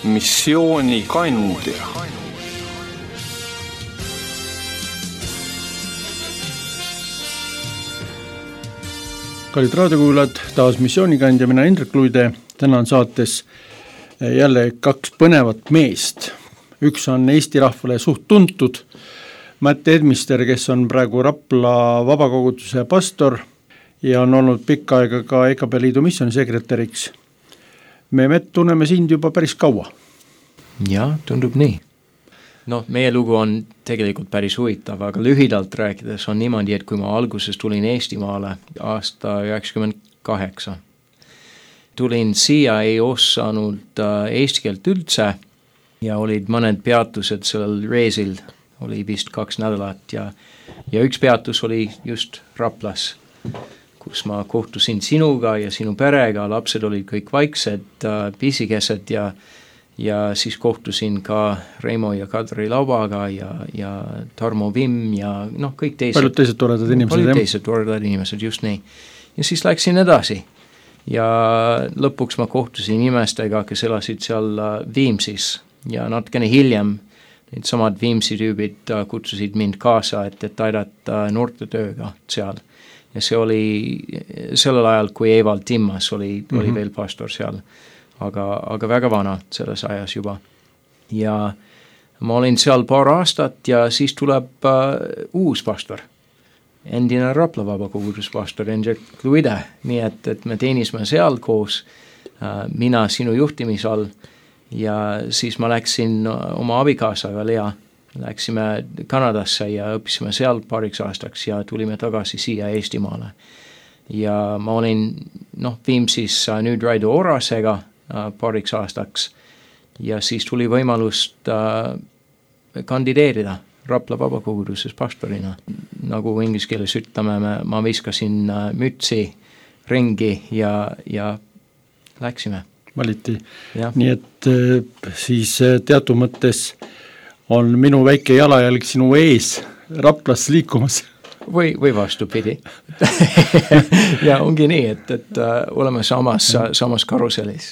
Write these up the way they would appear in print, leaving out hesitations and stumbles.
missioonikandja. Kallid raadiokuulajad, taas missioonikandja, mina Indrek Luide. Täna on saates jälle kaks põnevat meest. Üks on Eesti rahvale suht tuntud, Matt Edmister, kes on praegu Rapla vabakoguduse pastor ja on olnud pikka aega ka EKP Liidu missioonisekretäriks. Me Matt tunneme sind juba päris kaua. Ja, tundub nii. No, meie lugu on tegelikult päris huvitav, aga lühidalt rääkides on niimoodi, et kui ma alguses tulin Eestimaale aasta 98, tulin siia, ei osanud eesti keelt üldse ja olid mõned peatused sellel reisil, oli vist 2 nädalat ja üks peatus oli just Raplas, kus ma kohtusin sinuga ja sinu perega, lapsed olid kõik vaiksed, pisikesed ja siis kohtusin ka Reimo ja Kadri Laubaga ja Tarmo Vimm ja kõik teised. Paljud teised toredad inimesed. Paljud teised toredad inimesed, just nii. Ja siis läksin edasi. Ja lõpuks ma kohtusin inimestega, kes elasid seal Viimsis ja natukene hiljem need samad Viimsi tüübid kutsusid mind kaasa, et aidata noortetööga seal. Ja see oli sellel ajal, kui Evald Timmas oli veel pastor seal. Aga väga vana selles ajas juba. Ja ma olin seal paar aastat ja siis tuleb uus pastor. Endine Rapla vabakogudus-pastor Indrek Luide, nii et me teenisime seal koos, mina sinu juhtimise all ja siis ma läksin oma abikaasaga Lea, läksime Kanadasse ja õppisime seal paariks aastaks ja tulime tagasi siia Eestimaale. Ja ma olin Viimsis nüüd Raido Orasega paariks aastaks ja siis tuli võimalust kandideerida Rapla vabakoguduses pastorina. Nagu inglise keeles ütleme, ma viskasin mütsi ringi ja läksime. Valiti. Ja. Nii et siis teatud mõttes on minu väike jalajälg sinu ees Raplas liikumas. Või vastupidi. Ja ongi nii, et oleme samas karuselis.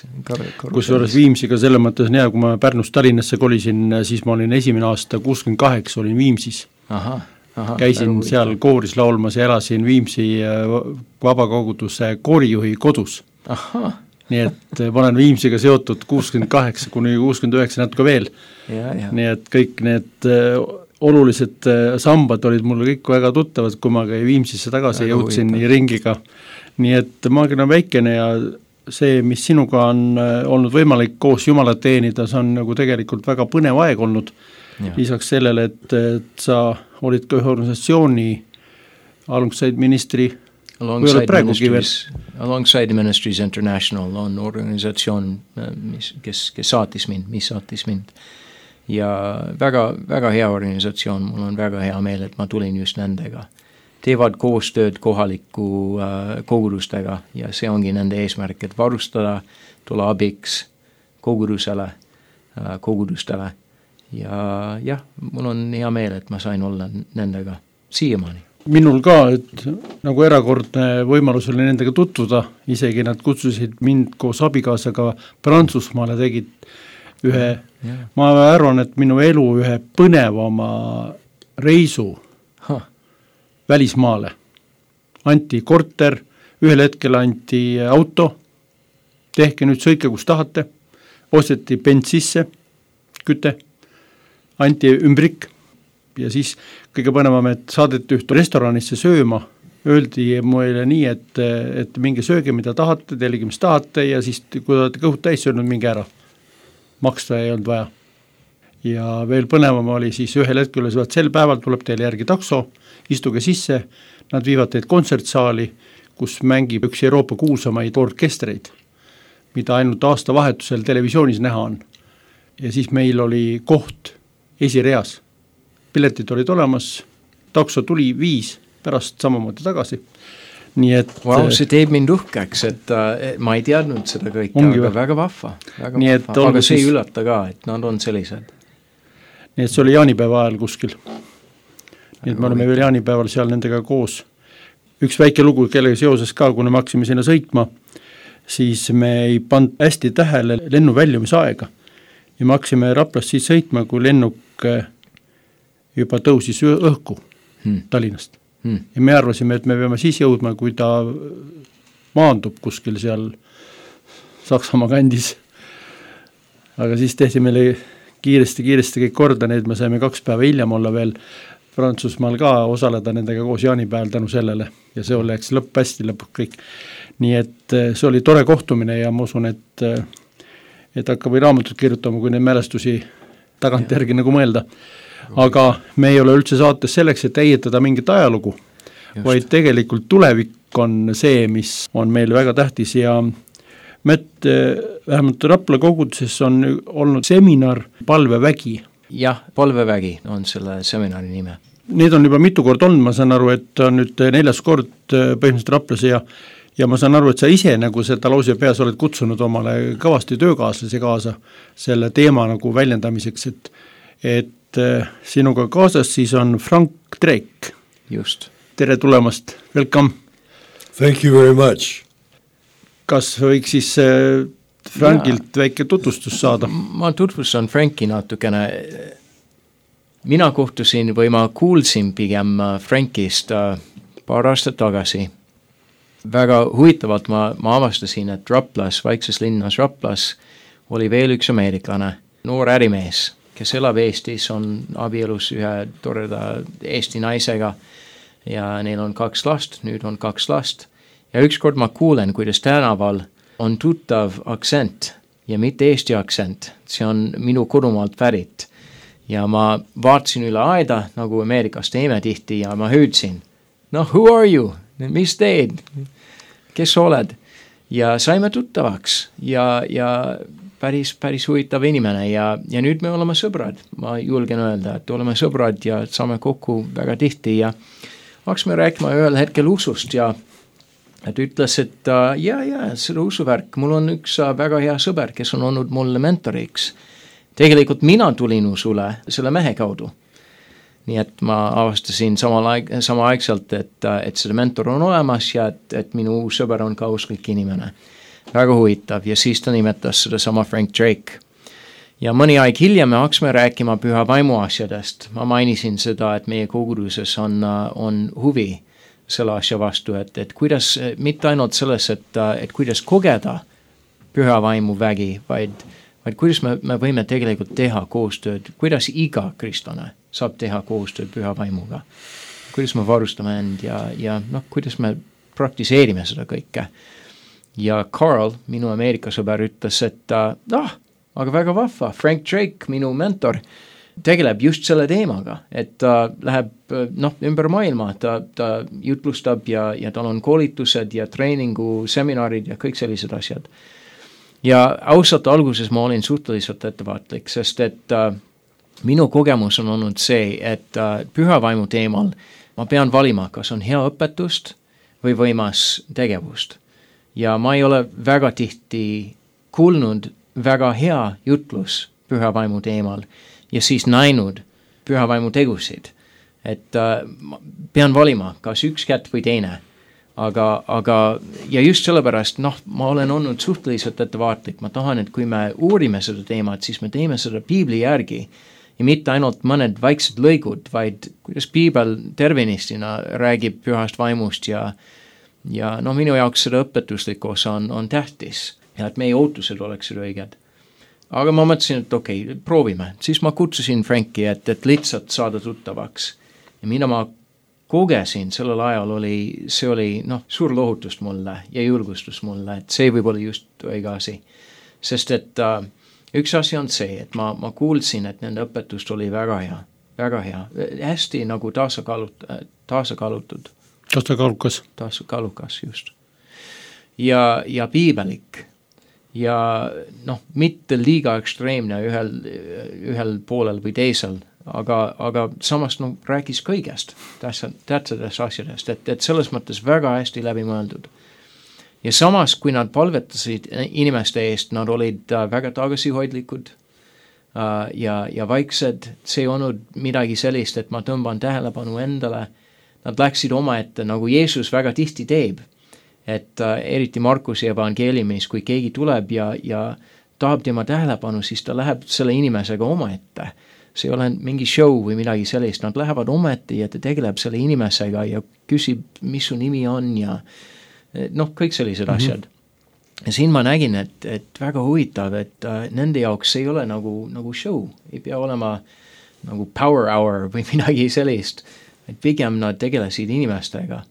Kusjuures Viimsiga selle mõttes on hea, kui ma Pärnust Tallinnasse kolisin, siis ma olin esimene aasta 68, olin Viimsis. Käisin seal kooris laulmas ja elasin Viimsi vabakoguduse koorijuhi kodus. Nii et ma olen Viimsiga seotud 68 kuni 69 natuke veel. Nii et kõik need olulised sambad olid mulle kõik väga tuttavad, kui ma ka Viimsisse tagasi jõudsin ringiga. Nii et maagina on väikene ja see, mis sinuga on olnud võimalik koos Jumalat teenida, see on nagu tegelikult väga põnev aeg olnud. Lisaks sellele, et sa olid ka ühe organisatsiooni Alongside Ministry Alongside Ministries International on organisatsioon, kes saatis mind. Ja väga, väga hea organisatsioon, mul on väga hea meel, et ma tulin just nendega. Teevad koostööd kohaliku kogudustega ja see ongi nende eesmärk, et varustada, tulla abiks kogudustele. Ja mul on hea meel, et ma sain olla nendega siiamaani. Minul ka, et nagu erakordne võimalus oli nendega tutvuda, isegi nad kutsusid mind koos abikaasaga Prantsusmaale, tegid ma arvan, et minu elu ühe põnevama reisu välismaale. Anti korter, ühel hetkel anti auto, tehke nüüd sõike, kus tahate, osteti bens sisse, küte, anti ümbrik ja siis kõige põnevam, et saadeti ühte restoranisse sööma, öeldi mulle nii, et minge sööge, mida tahate, tellige, mis tahate ja siis, kui olete kõhud täis söönud, minge ära. Maksta ei olnud vaja. Ja veel põnevam oli siis ühel hetkel, sel päeval tuleb teile järgi takso, istuge sisse, nad viivad teid kontsertsaali, kus mängib üks Euroopa kuulsamaid orkestreid, mida ainult aastavahetusel televisioonis näha on. Ja siis meil oli koht esireas. Piletid olid olemas, takso tuli 5, pärast samamoodi tagasi. Nii et see teeb mind uhkeks, et ma ei teadnud seda kõike, aga väga vahva. Aga see ei üllata ka, et nad on sellised. Nii et see oli jaanipäeva ajal kuskil. Nii et me oleme veel jaanipäeval seal nendega koos. Üks väike lugu, kellega seoses ka, kuna me hakkasime sinna sõitma, siis me ei pannud hästi tähele lennu väljumisaega. ja me hakkasime Raplast siis sõitma, kui lennuk juba tõusis õhku Tallinnast. Ja me arvasime, et me peame siis jõudma, kui ta maandub kuskil seal Saksamaa kandis. Aga siis tehti meile kiiresti kõik korda, need me saime 2 päeva hiljem olla veel Prantsusmaal ka osaleda nendega koos jaanipäeval tänu sellele ja see oleks lõpp hästi lõpuks kõik. Nii et see oli tore kohtumine ja ma usun, et hakkab või raamatut kirjutama, kui neid mälestusi tagantjärgi nagu mõelda. Aga me ei ole üldse saates selleks, et ehitada mingit ajalugu, vaid tegelikult tulevik on see, mis on meil väga tähtis ja Mätt, vähemalt Rapla koguduses on olnud seminar Palvevägi. Jah, Palvevägi on selle seminari nime. Need on juba mitu kord olnud, ma saan aru, et on nüüd 4. kord põhimõtteliselt Raplas ja ma saan aru, et sa ise nagu seda lause peas oled kutsunud omale kõvasti töökaaslasi kaasa selle teema nagu väljendamiseks, et sinuga kaasas siis on Frank Drake. Just. Tere tulemast, welcome. Thank you very much. Kas võiks siis Frankilt väike tutvustus saada? Ma tutvustan Franki natukene. Mina kohtusin või ma kuulsin pigem Frankist paar aastat tagasi. Väga huvitavalt ma avastasin, et Raplas, vaikses linnas Raplas, oli veel üks ameeriklane, noor ärimees, kes elab Eestis, on abielus ühe toreda Eesti naisega ja neil on 2 last, nüüd on 2 last. Ja ükskord ma kuulen, kuidas tänaval on tuttav aktsent ja mitte Eesti aktsent, see on minu kodumaalt pärit. Ja ma vaatasin üle aeda, nagu Ameerikas teeme tihti ja ma hüüdsin, who are you? Mis teed? Kes oled? Ja saime tuttavaks ja päris huvitav inimene ja nüüd me oleme sõbrad. Ma julgen öelda, et oleme sõbrad ja saame kokku väga tihti ja hakkasime rääkima ühel hetkel usust ja et ütles, et selle usuvärk, mul on üks väga hea sõber, kes on olnud mulle mentoriks. Tegelikult mina tulin usule selle mehe kaudu. Nii et ma avastasin samaaegselt, et selle mentor on olemas ja et minu uus sõber on ka usklik inimene. Väga huvitav ja siis ta nimetas seda sama Frank Drake. Ja mõni aeg hiljem me hakkasime rääkima püha vaimu asjadest. Ma mainisin seda, et meie koguduses on huvi selle asja vastu, et kuidas, mitte ainult selles, et kuidas kogeda püha vaimu vägi, vaid kuidas me võime tegelikult teha koostööd, kuidas iga kristlane saab teha koostööd püha vaimuga, kuidas me varustame end ja kuidas me praktiseerime seda kõike. Ja Carl, minu Ameerika sõber, ütles, et aga väga vahva, Frank Drake, minu mentor, tegeleb just selle teemaga, et ta läheb ümber maailma, ta jutlustab ja tal on koolitused ja treeningu seminarid ja kõik sellised asjad. Ja ausalt alguses ma olin suhteliselt ettevaatlik, sest et minu kogemus on olnud see, et püha vaimu teemal ma pean valima, kas on hea õpetust või võimas tegevust. Ja ma ei ole väga tihti kuulnud väga hea jutlus püha vaimu teemal ja siis näinud püha vaimu tegusid, et pean valima, kas üks kätt või teine, aga ja just sellepärast, ma olen olnud suhteliselt ettevaatlik, ma tahan, et kui me uurime seda teemat, siis me teeme seda piibli järgi ja mitte ainult mõned väiksed lõigud, vaid kuidas piibel tervenistina räägib pühast vaimust ja minu jaoks seda õpetuslik osa on tähtis ja et meie ootused oleksid õiged. Aga ma mõtlesin, et okei, proovime. Siis ma kutsusin Franki, et lihtsalt saada tuttavaks. Ja mida ma kogesin sellel ajal see oli suur lohutust mulle ja julgustus mulle, et see võib olla just õige asi. Sest et üks asi on see, et ma kuulsin, et nende õpetust oli väga hea, hästi nagu tasakaalutud. Tasakaalukas, just. Ja piibelik. Ja mitte liiga ekstreemne ühel poolel või teisel, aga samas rääkis kõigest tähtsatest asjadest, et selles mõttes väga hästi läbi mõeldud. Ja samas, kui nad palvetasid inimeste eest, nad olid väga tagasihoidlikud ja vaiksed, see ei olnud midagi sellist, et ma tõmban tähelepanu endale, nad läksid omaette, nagu Jeesus väga tihti teeb. Et eriti Markuse evangeeliumis, kui keegi tuleb ja tahab tema tähelepanu, siis ta läheb selle inimesega omaette. See ei ole mingi show või midagi sellist, nad lähevad omaette ja ta tegeleb selle inimesega ja küsib, mis su nimi on ja noh, kõik sellised asjad. Ja siin ma nägin, et väga huvitav, et nende jaoks ei ole nagu show, ei pea olema nagu power hour või midagi sellist, et pigem nad tegelesid inimestega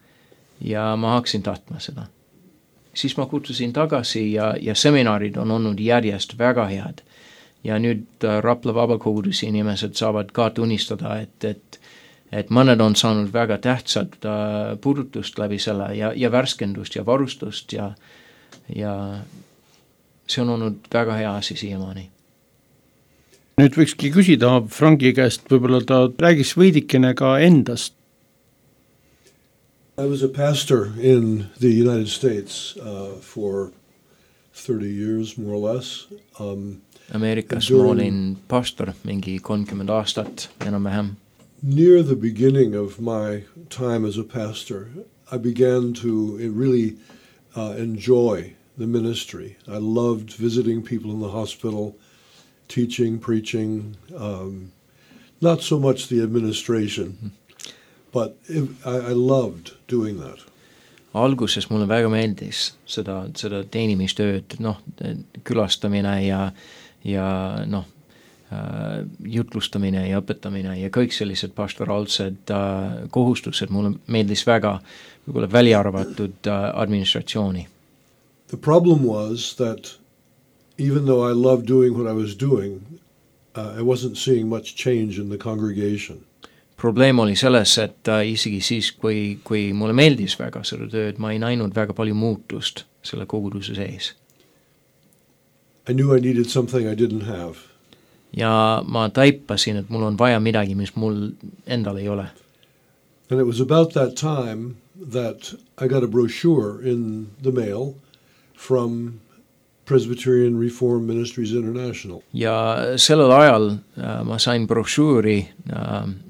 ja ma hakkasin tahtma seda. Siis ma kutsusin tagasi ja seminarid on olnud järjest väga head. Ja nüüd Rapla Vabakoguduse inimesed saavad ka tunnistada, et mõned on saanud väga tähtsad puudutust läbi selle ja värskendust ja varustust ja see on olnud väga hea asi siiamaani. Nüüd võikski küsida Franki käest, võib-olla ta räägiks veidikene ka endast. I was a pastor in the United States for 30 years, more or less. Ameerikas ma olin pastor mingi 30 aastat enam-vähem. Near the beginning of my time as a pastor, I began to really enjoy the ministry. I loved visiting people in the hospital, teaching, preaching, not so much the administration, but I loved doing that. Alguses mulle väga meeldis seda teenimistööd, külastamine ja jutlustamine ja õpetamine ja kõik sellised pastoraalsed kohustused mulle meeldis väga, võib-olla välja arvatud administratsiooni. The problem was that even though I loved doing what I was doing, I wasn't seeing much change in the congregation. Probleem oli selles, et isegi siis, kui mulle meeldis väga seda tööd, ma ei näinud väga palju muutust selle koguduse sees. I knew I needed something I didn't have. Ja ma taipasin, et mul on vaja midagi, mis mul endal ei ole. And it was about that time that I got a brochure in the mail from Presbyterian Reformed Ministries International. Ja sellel ajal ma sain brošüüri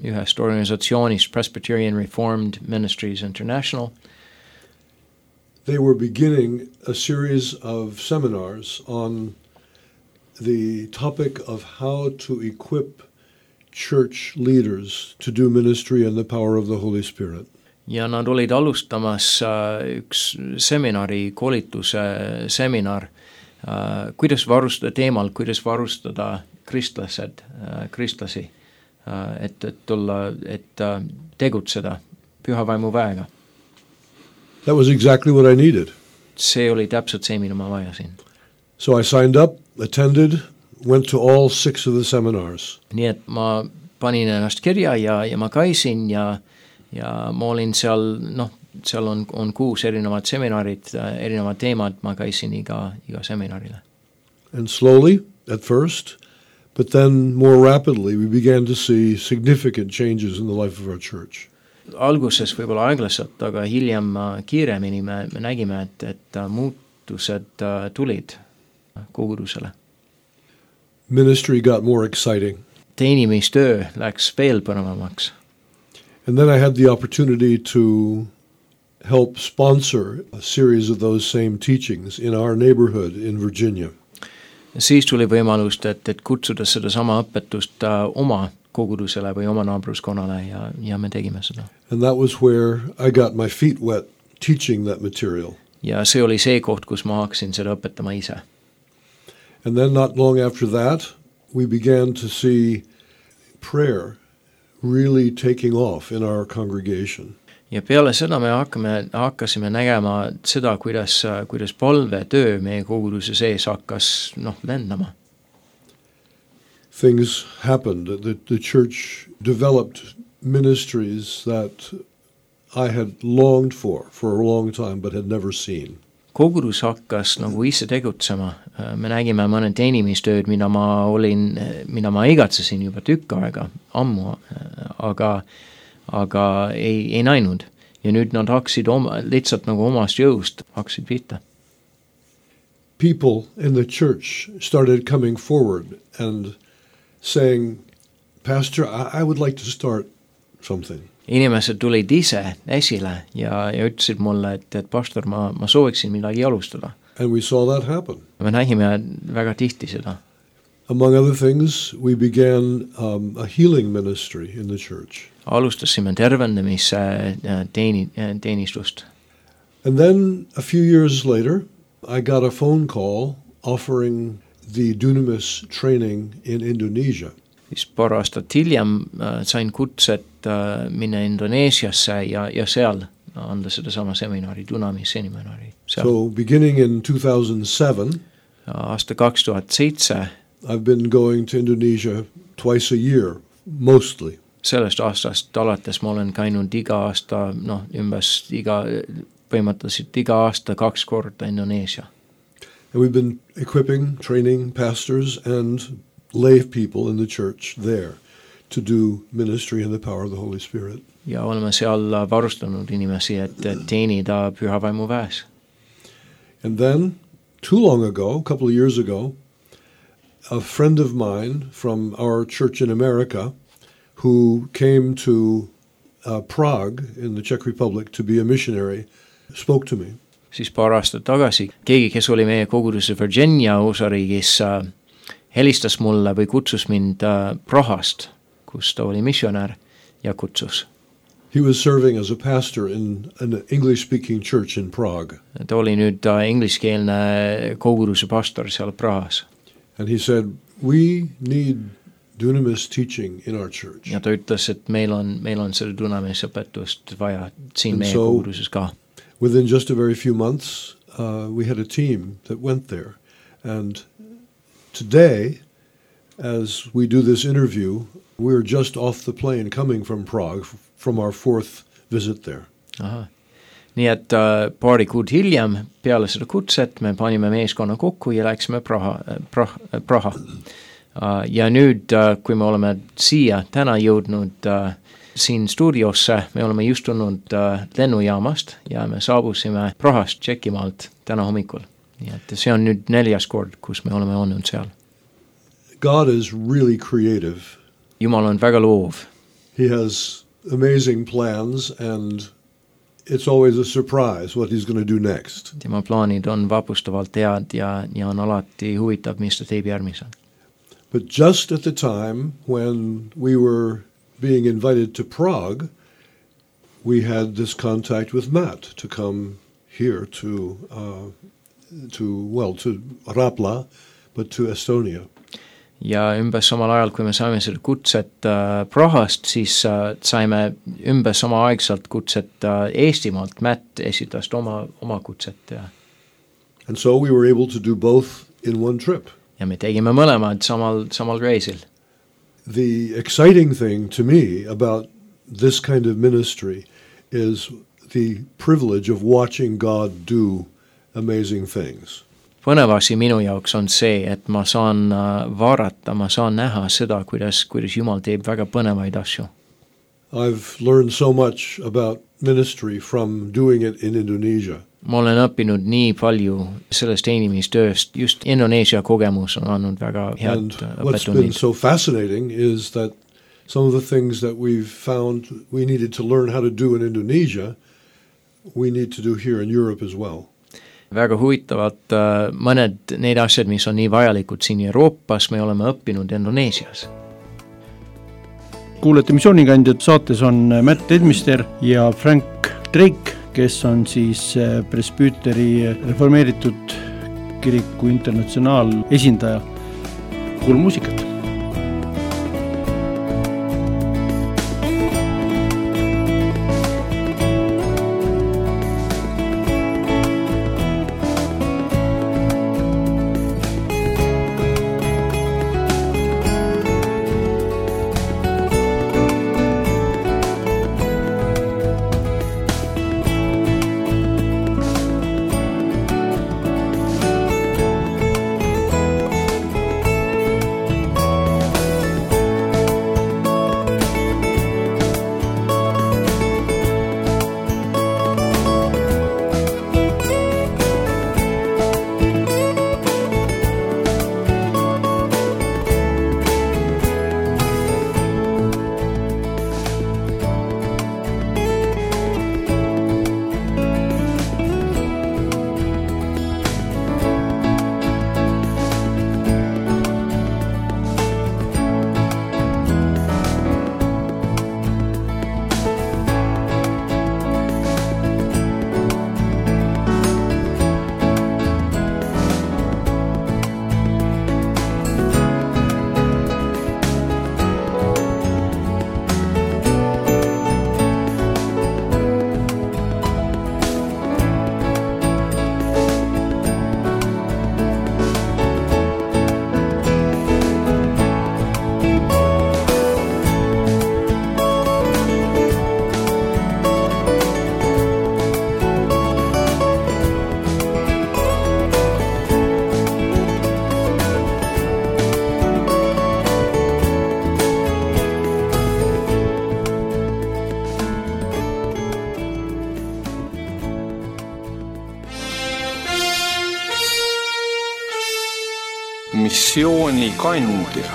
ühest organisatsioonist Presbyterian Reformed Ministries International. They were beginning a series of seminars on the topic of how to equip church leaders to do ministry in the power of the Holy Spirit. Ja nad olid alustamas üks seminari, koolituse seminar, kuidas varustada kristlasi, et tegutseda püha vaimu väega. That was exactly what I needed. See oli täpselt see, mida ma vajasin. So I signed up, attended, went to all 6 of the seminars. Nii et ma panin ennast kirja ja ma käisin ja ma olin seal, seal on 6 erinevad seminarid, erinevad teemad, ma käisin iga seminarile. And slowly, at first, but then more rapidly, we began to see significant changes in the life of our church. Alguses võib-olla aeglaselt, aga hiljem kiiremini me nägime, et muutused tulid kogudusele. Ministry got more exciting. Teenimistöö läks veel põnevamaks. And then I had the opportunity to help sponsor a series of those same teachings in our neighborhood in Virginia. Siis tuli võimalust, et kutsuda seda sama õpetust oma kogudusele või oma naabruskonnale ja me tegime seda. And that was where I got my feet wet teaching that material. Ja see oli see koht, kus ma hakkasin seda õpetama ise. And then not long after that, we began to see prayer really taking off in our congregation. Ja peale seda me hakkasime nägema seda, kuidas palvetöö meie koguduse sees hakkas lendama. Things happened. The church developed ministries that I had longed for a long time but had never seen. Kogudus hakkas ise tegutsema. Me nägime mõne teenimistööd, mida ma igatsesin juba tükk aega, ammu, aga ei näinud. Ja nüüd nad hakkasid lihtsalt omast jõust hakkasid pihta. People in the church started coming forward and saying, Pastor, I would like to start something. Inimesed tulid ise esile ja ütlesid mulle, et pastor, ma sooviksin midagi alustada. And we saw that happen. me nägime väga tihti seda. Among other things, we began a healing ministry in the church. Alustasime tervendamise teenistust. And then a few years later, I got a phone call offering the Dunamis training in Indonesia. Siis paar aastat hiljem sain kutset minna Indoneesiasse ja seal anda sedasama seminari, Dunamis seminari. So beginning in 2007, aasta 2007, I've been going to Indonesia twice a year, mostly. Sellest aastast alates ma olen käinud iga aasta, põhimõtteliselt iga aasta 2 korda Indoneesia. And we've been equipping, training pastors and lay people in the church there to do ministry in the power of the Holy Spirit. Ja oleme seal varustanud inimesi, et teenida Püha Vaimu väes. And then, too long ago, a couple of years ago, a friend of mine from our church in America who came to Prague in the Czech Republic to be a missionary spoke to me. Siis paar aastat tagasi keegi, kes oli meie koguduse Virginia osariigis, helistas mulle või kutsus mind Prahast, kus ta oli missionär ja kutsus. He was serving as a pastor in an English-speaking church in Prague. Ta oli nüüd ingliskeelne koguduse pastor seal Prahas. And he said, we need dunamis teaching in our church. Ja ta ütles, et meil on seda dunamis õpetust vaja siin And meie so, koguduses ka. Within just a very few months, we had a team that went there. And today, as we do this interview, we're just off the plane coming from Prague from our 4th visit there. Aha. Nii et paari kuud hiljem peale seda kutset me panime meeskonna kokku ja läksime Praha. Ja nüüd, kui me oleme siia täna jõudnud siin stuudiosse, me oleme just tulnud lennujaamast ja me saabusime Prahast, Tšekimaalt täna hommikul. Nii et see on nüüd 4. kord, kus me oleme olnud seal. God is really creative. Jumal on väga loov. He has amazing plans and it's always a surprise what he's going to do next. Tema plaanid on vapustavalt head ja on alati huvitav, mis ta teeb järgmisel. But just at the time when we were being invited to Prague, we had this contact with Matt to come here to Rapla, but to Estonia. Ja umbes samal ajal, kui me saime selle kutset Prahast, siis saime umbes sama aegselt kutset Eestimaalt. Matt esitas oma kutset. And so we were able to do both in one trip. Ja me tegime mõlemad samal reisil. The exciting thing to me about this kind of ministry is the privilege of watching God do amazing things. Põnev asi minu jaoks on see, et ma saan vaadata, ma saan näha seda, kuidas Jumal teeb väga põnevaid asju. I've learned so much about ministry from doing it in Indonesia. Ma olen õppinud nii palju sellest teenimistööst, just Indoneesia kogemus on andnud väga head õppetunnid. What's been so fascinating is that some of the things that we've found we needed to learn how to do in Indonesia, we need to do here in Europe as well. Väga huvitavad mõned need asjad, mis on nii vajalikud siin Euroopas, me oleme õppinud Indoneesias. Kuulete Missioonikandjad, saates on Matt Edmister ja Frank Drake, kes on siis Presbüteri reformeeritud kiriku internatsionaal esindaja. Kuulame muusikat. missioonikandja.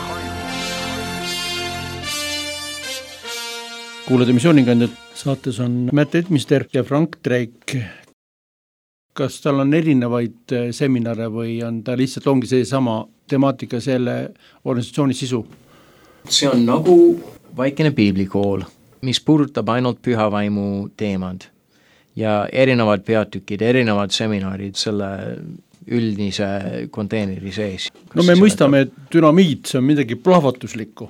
Kuulade missioonikandjad, saates on Matt Edmister ja Frank Drake. Kas tal on erinevaid seminare või on ta lihtsalt ongi see sama temaatika, selle organisatsiooni sisu? See on nagu vaikene piiblikool, mis puudutab ainult pühavaimu teemad ja erinevad peatükid, erinevad seminarid selle üldise konteeneri sees. No me mõistame, et dünamiit, see on midagi plahvatuslikku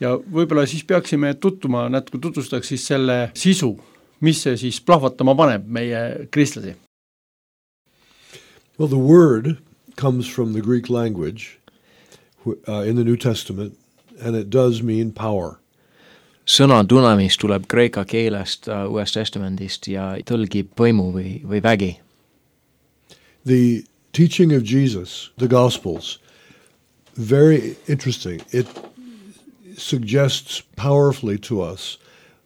ja võib-olla siis peaksime tutvuma, natuke tutvustaks siis selle sisu, mis see siis plahvatama paneb meie kristlasi. Well, the word comes from the Greek language in the New Testament, and it does mean power. Sõna dunamis tuleb kreeka keelest Uuest Testamendist ja tõlgib võimu või vägi. The teaching of Jesus, the Gospels, very interesting. It suggests powerfully to us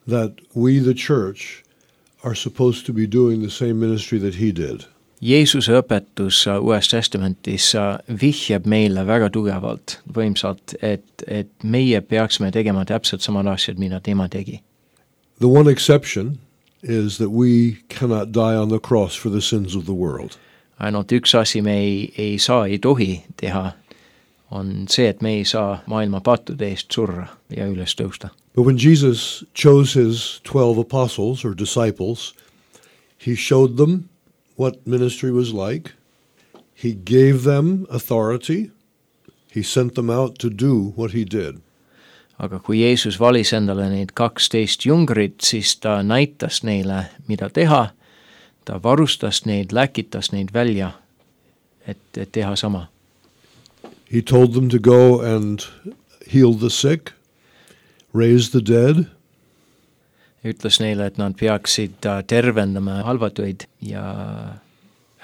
that we, the church, are supposed to be doing the same ministry that he did. Jeesuse õpetus Uues Testamentis vihjab meile väga tugevalt, võimsalt, et meie peaksime tegema täpselt samad asjad, mida tema tegi. The one exception is that we cannot die on the cross for the sins of the world. Ainult üks asi me ei saa, ei tohi teha, on see, et me ei saa maailma pattude eest surra ja üles tõusta. But when Jesus chose his 12 apostles or disciples, he showed them what ministry was like. He gave them authority. He sent them out to do what he did. Aga kui Jeesus valis endale neid 12 jungrit, siis ta näitas neile, mida teha. Ta varustas neid, läkitas neid välja, et teha sama. He told them to go and heal the sick, raise the dead. Ütles neile, et nad peaksid tervendama halvatuid ja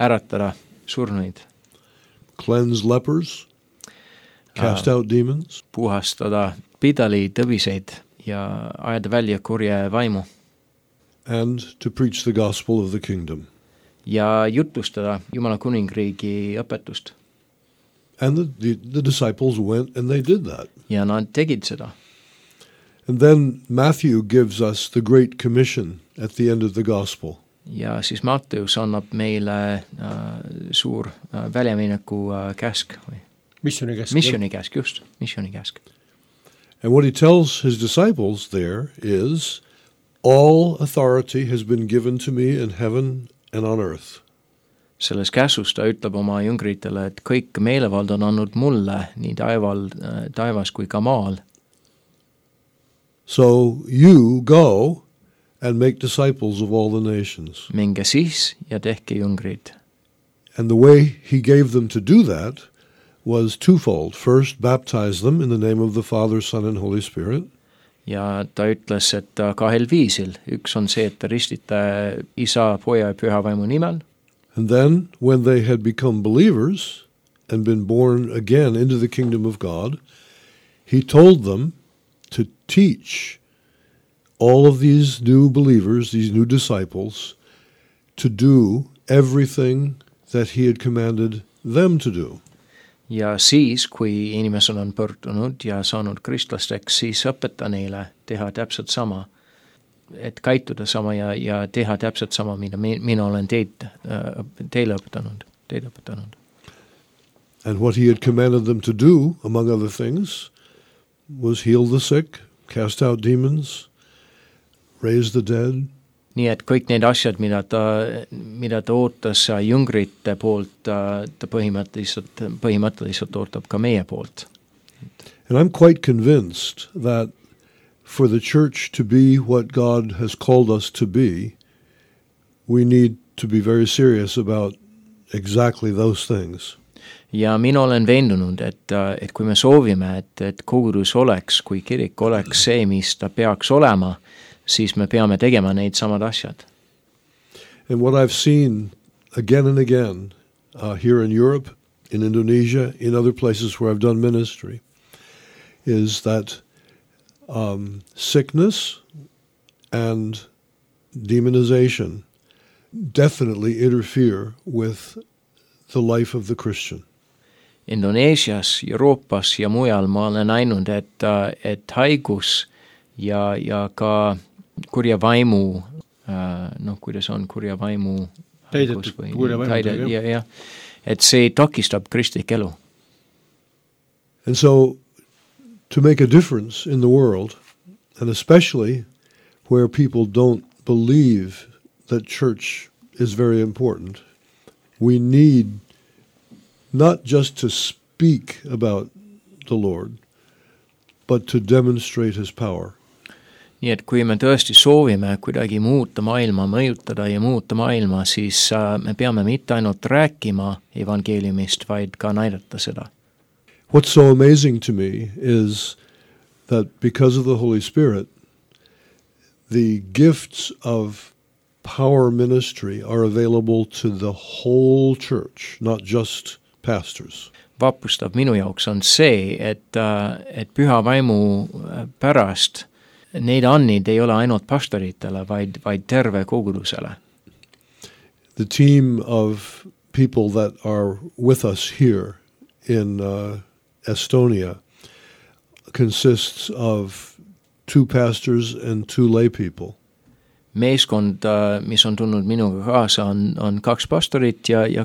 äratada surnuid. Cleanse lepers, cast out demons. Puhastada pidali tõbiseid ja ajada välja kurje vaimu. And to preach the gospel of the kingdom. Ja jutlustada Jumala kuningriigi õpetust. And the disciples went and they did that. Ja nad tegid seda. And then Matthew gives us the Great Commission at the end of the Gospel. Ja siis Matteus annab meile suur väljamineku käsk. Missionikäsk, just. Missionikäsk. And what he tells his disciples there is, all authority has been given to me in heaven and on earth. Selles käsus ta ütleb oma jüngritele, et kõik meelevald on andnud mulle nii taevas kui ka maal. So you go and make disciples of all the nations. Minge siis ja tehke jüngrid. And the way he gave them to do that was twofold. First, baptize them in the name of the Father, Son, and Holy Spirit. Ja ta ütles, et kahel viisil. Üks on see, et ta ristite Isa, Poja ja Püha Vaimu nimel. And then, when they had become believers and been born again into the kingdom of God, he told them to teach all of these new believers, these new disciples, to do everything that he had commanded them to do. Ja siis, kui inimesed on pöördunud ja saanud kristlasteks, siis õpeta neile teha täpselt sama, et käituda sama ja teha täpselt sama, mida mina olen teile õpetanud. And what he had commanded them to do, among other things, was heal the sick, cast out demons, raise the dead. Nii et kõik need asjad, mida ta ootas jüngrite poolt, ta põhimõtteliselt ootab ka meie poolt. And I'm quite convinced that for the church to be what God has called us to be, we need to be very serious about exactly those things. Ja mina olen veendunud, et kui me soovime, et kogudus oleks, kui kirik oleks see, mis ta peaks olema, siis me peame tegema neid samad asjad. And what I've seen again and again here in Europe, in Indonesia, in other places where I've done ministry, is that sickness and demonization definitely interfere with the life of the Christian. Indoneesias, Euroopas ja mujal ma olen näinud, et haigus ja ka kurja vaimu, kuidas on kurja vaimu haigus või et see takistab kristlik elu. And so to make a difference in the world, and especially where people don't believe that church is very important, we need not just to speak about the Lord, but to demonstrate his power. Nii et kui me tõesti soovime kuidagi muuta maailma, mõjutada ja muuta maailma, siis me peame mitte ainult rääkima evangeeliumist, vaid ka näidata seda. What's so amazing to me is that because of the Holy Spirit, the gifts of power ministry are available to the whole church, not just pastors. Vapustav minu jaoks on see, et püha vaimu pärast neid annid ei ole ainult pastoritele, vaid terve kogudusele. The team of people that are with us here in Estonia consists of 2 pastors and 2 lay people. Meeskond, mis on tulnud minuga kaasa, on 2 pastorit ja 2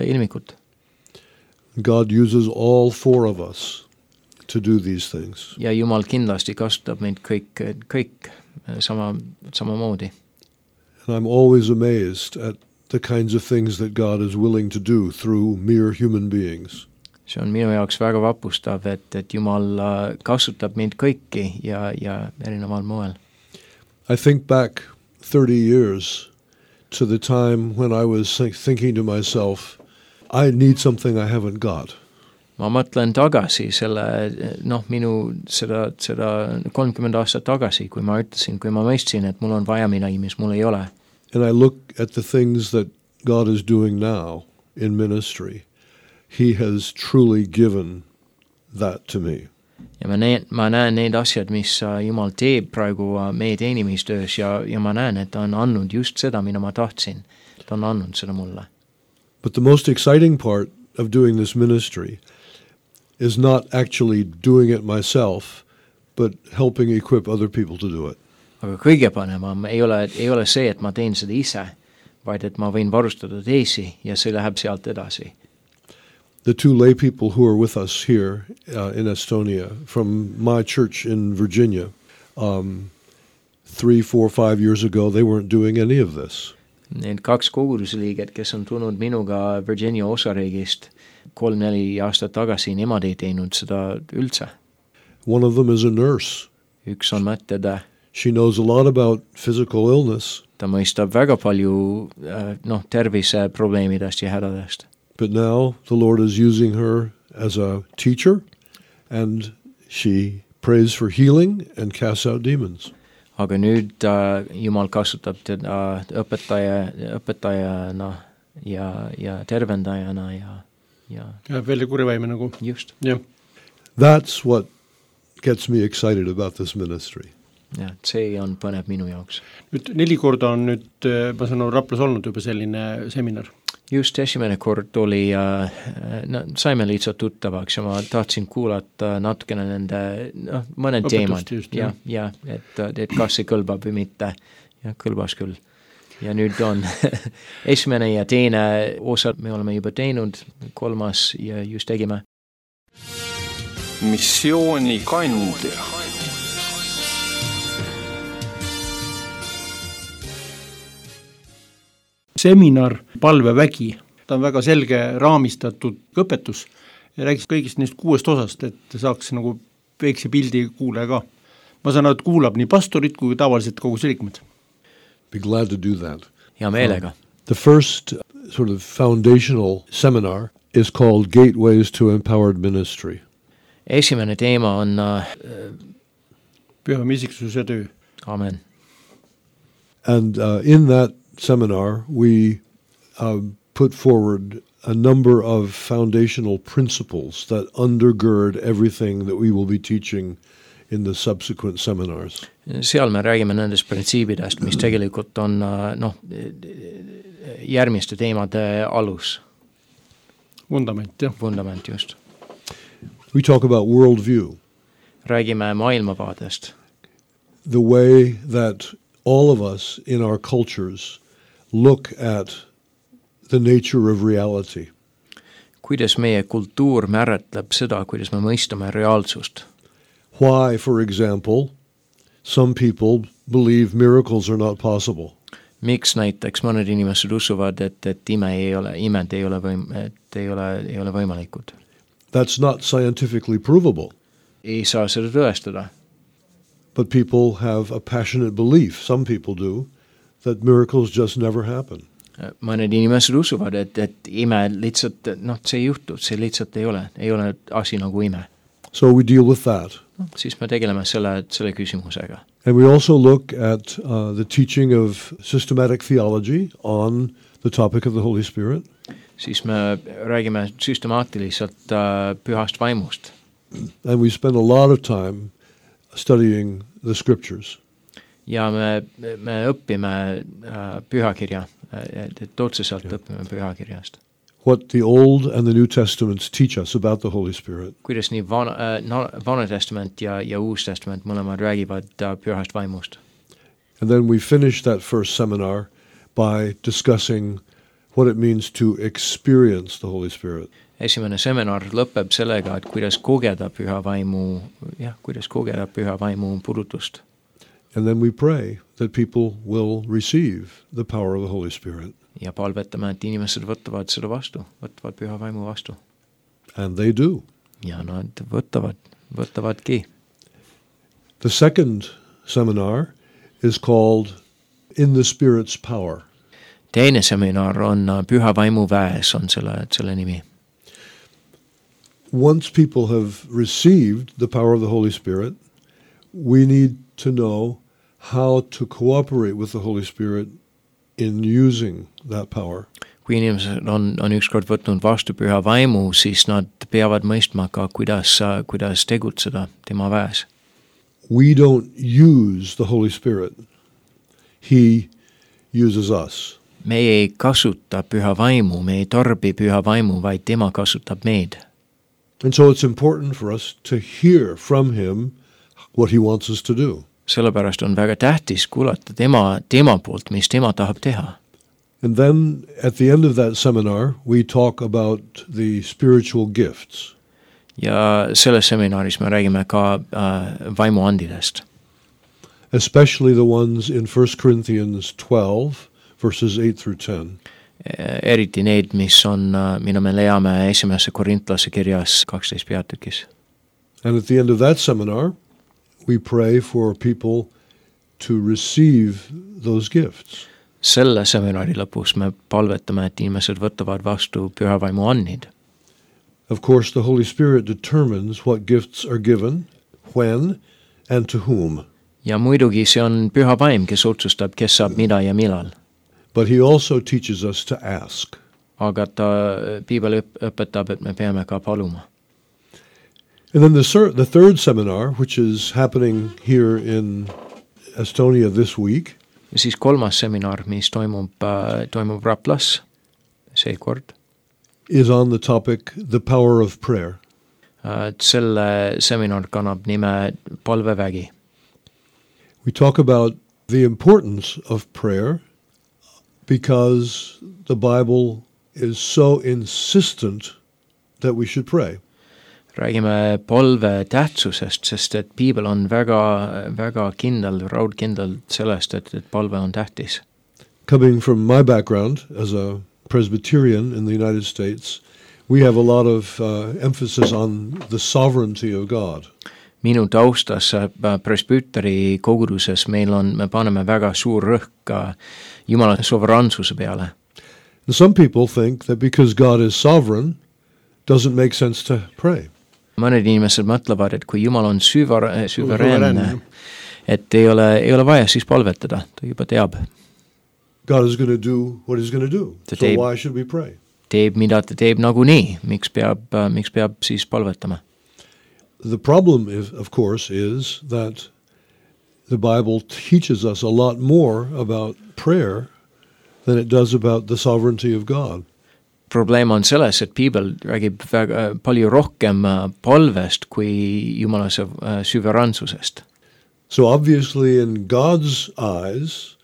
ilmikut. God uses all 4 of us to do these things. Ja Jumal kindlasti kasutab meid kõik samamoodi. And I'm always amazed at the kinds of things that God is willing to do through mere human beings. See on minu jaoks väga vapustav, et Jumal kasutab meid kõiki ja erineval moel. I think back 30 years to the time when I was thinking to myself, I need something I haven't got. Ma mõtlen tagasi minu seda 30 aastat tagasi, kui ma mõistsin, et mul on vaja midagi, mis mul ei ole. And I look at the things that God is doing now in ministry. He has truly given that to me. Ja ma näen need asjad, mis Jumal teeb praegu meie teenimistöös ja ma näen, et ta on andnud just seda, mida ma tahtsin. Ta on andnud seda mulle. But the most exciting part of doing this ministry is not actually doing it myself, but helping equip other people to do it. Aga kõige panevam ei ole see, et ma teen seda ise, vaid et ma võin varustada teisi ja see läheb sealt edasi. The 2 lay people who are with us here in Estonia from my church in Virginia, 3, 4, 5 years ago, they weren't doing any of this. Need 2 kogudusliiget, kes on tulnud minuga Virginia osariigist 3-4 aastat tagasi, nemad ei teinud seda üldse. One of them is a nurse. Üks on mõttetäe. She knows a lot about physical illness. Ta mõistab väga palju terviseprobleemidest ja hädadest. But now the Lord is using her as a teacher, and she prays for healing and casts out demons. Aga nüüd Jumal kasutab teda õpetajana ja tervendajana ja välja kurivaime nagu. Just. Yeah. That's what gets me excited about this ministry. Ja, see on põnev minu jaoks. Nüüd 4 korda on nüüd, ma saan Raplas olnud juba selline seminar. Just esimene kord oli, saime lihtsalt tuttavaks ja ma tahtsin kuulata natukene nende mõned teemad ja et kas see kõlbab või mitte ja kõlbas küll. Ja nüüd on esimene ja teine osa me oleme juba teinud, 3. ja just tegime. Missiooni kandja. Seminar Palvevägi, ta on väga selge raamistatud õpetus ja räägis kõigist neist 6 osast, et saaks nagu väikse pildi kuulaja ka. Ma saan, et kuulab nii pastorit kui tavaliselt kogu liikmed. Be glad to do that. Ja meelega. The first sort of foundational seminar is called Gateways to Empowered Ministry. Esimene teema on püha isiksuse töö. Amen. And in that seminar, we put forward a number of foundational principles that undergird everything that we will be teaching in the subsequent seminars. Seal me räägime nendest printsiibidest, mis tegelikult on järgmiste teemade alus. vundament, jah. vundament just. We talk about worldview. Räägime maailmavaadest. The way that all of us in our cultures look at the nature of reality. Kuidas meie kultuur määratleb seda, kuidas me mõistame reaalsust. Why, for example, some people believe miracles are not possible. Miks näiteks mõned inimesed usuvad, et imed ei ole võimalikud. That's not scientifically provable. Ei saa seda tõestada. But people have a passionate belief, some people do, that miracles just never happen. Mõned inimesed usuvad, et ime lihtsalt, see ei juhtu, see lihtsalt ei ole asi nagu ime. So we deal with that. Siis me tegeleme selle küsimusega. And we also look at the teaching of systematic theology on the topic of the Holy Spirit. Siis me räägime süstemaatiliselt pühast vaimust. And we spend a lot of time studying the scriptures. Ja me õpime pühakirja, et otseselt õpime pühakirjast. What the Old and the New Testaments teach us about the Holy Spirit. Kuidas nii Vana Testament ja Uus Testament mõlemad räägivad pühast vaimust. And then we finish that first seminar by discussing what it means to experience the Holy Spirit. Esimene seminar lõpeb sellega, et kuidas kogeda püha vaimu purutust. And then we pray that people will receive the power of the Holy Spirit. Ja palvetame, et inimesed võtavad püha vaimu vastu. And they do. Ja nad võtavadki. The second seminar is called In the Spirit's Power. Teine seminar on püha vaimu väes, on selle nimi. Once people have received the power of the Holy Spirit, we need to know how to cooperate with the Holy Spirit in using that power. Kui inimesed on ükskord võtnud vastu püha vaimu, siis nad peavad mõistma ka, kuidas tegutseda tema väes. We don't use the Holy Spirit. He uses us. Me ei kasuta püha vaimu, me ei tarbi püha vaimu, vaid tema kasutab meid. And so it's important for us to hear from him what he wants us to do. Sellepärast on väga tähtis kuulata tema poolt, mis tema tahab teha. And then at the end of that seminar, we talk about the spiritual gifts. Ja selles seminaris me räägime ka vaimuandidest. Especially the ones in 1 Corinthians 12, verses 8 through 10. Eriti need, mida me leiame esimese Korintlase kirjas 12 peatükis. And at the end of that seminar, we pray for people to receive those gifts. Selle seminari lõpus me palvetame, et inimesed võtavad vastu püha vaimu annid. Of course, the Holy Spirit determines what gifts are given, when, and to whom. Ja muidugi see on püha vaim, kes otsustab, kes saab mida ja millal. But he also teaches us to ask. Aga Piibel õpetab, et me peame ka paluma. And then the third seminar, which is happening here in Estonia this week. Ja siis kolmas seminar, mis toimub Raplas seekord. Is on the topic, the power of prayer. Selle seminar kannab nime palvevägi. We talk about the importance of prayer because the Bible is so insistent that we should pray. Räägime palve tähtsusest, sest et Piibel on väga kindel, raudkindel sellest, et palve on tähtis. Coming from my background as a Presbyterian in the United States, we have a lot of emphasis on the sovereignty of God. Minu taustas presbüteri koguduses me paneme väga suur rõhk Jumala suveraansuse peale. And some people think that because God is sovereign, doesn't make sense to pray. Mõned inimesed mõtlevad, et kui Jumal on süvereenne, et ei ole vaja siis palvetada, ta juba teab. God is going to do what he's going to do, so why should we pray? Teeb, mida ta teeb nagunii, miks peab siis palvetama? The problem, of course, is that the Bible teaches us a lot more about prayer than it does about the sovereignty of God. probleem on selles, et piibel räägib väga palju rohkem palvest kui Jumala süveransusest. So obviously in God's eyes,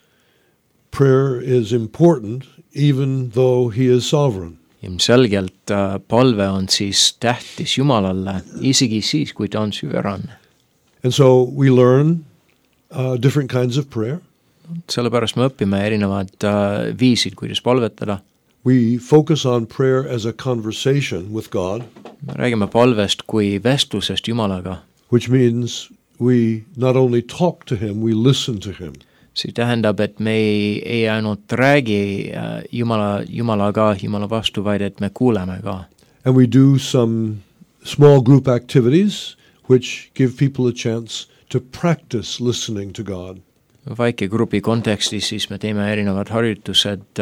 prayer is important even though he is sovereign. Ilmselgelt palve on siis tähtis Jumalale, isegi siis, kui ta on süveranne. And so we learn different kinds of prayer. Sellepärast me õpime erinevad viisid, kuidas palvetada. We focus on prayer as a conversation with God, Me räägime palvest kui vestlusest Jumalaga. which means we not only talk to him, we listen to him. See tähendab, et me ei ainult räägi Jumalaga, Jumala vastu, vaid et me kuuleme ka. And we do some small group activities which give people a chance to practice listening to God. Väikegrupi kontekstis siis me teeme erinevad harjutused,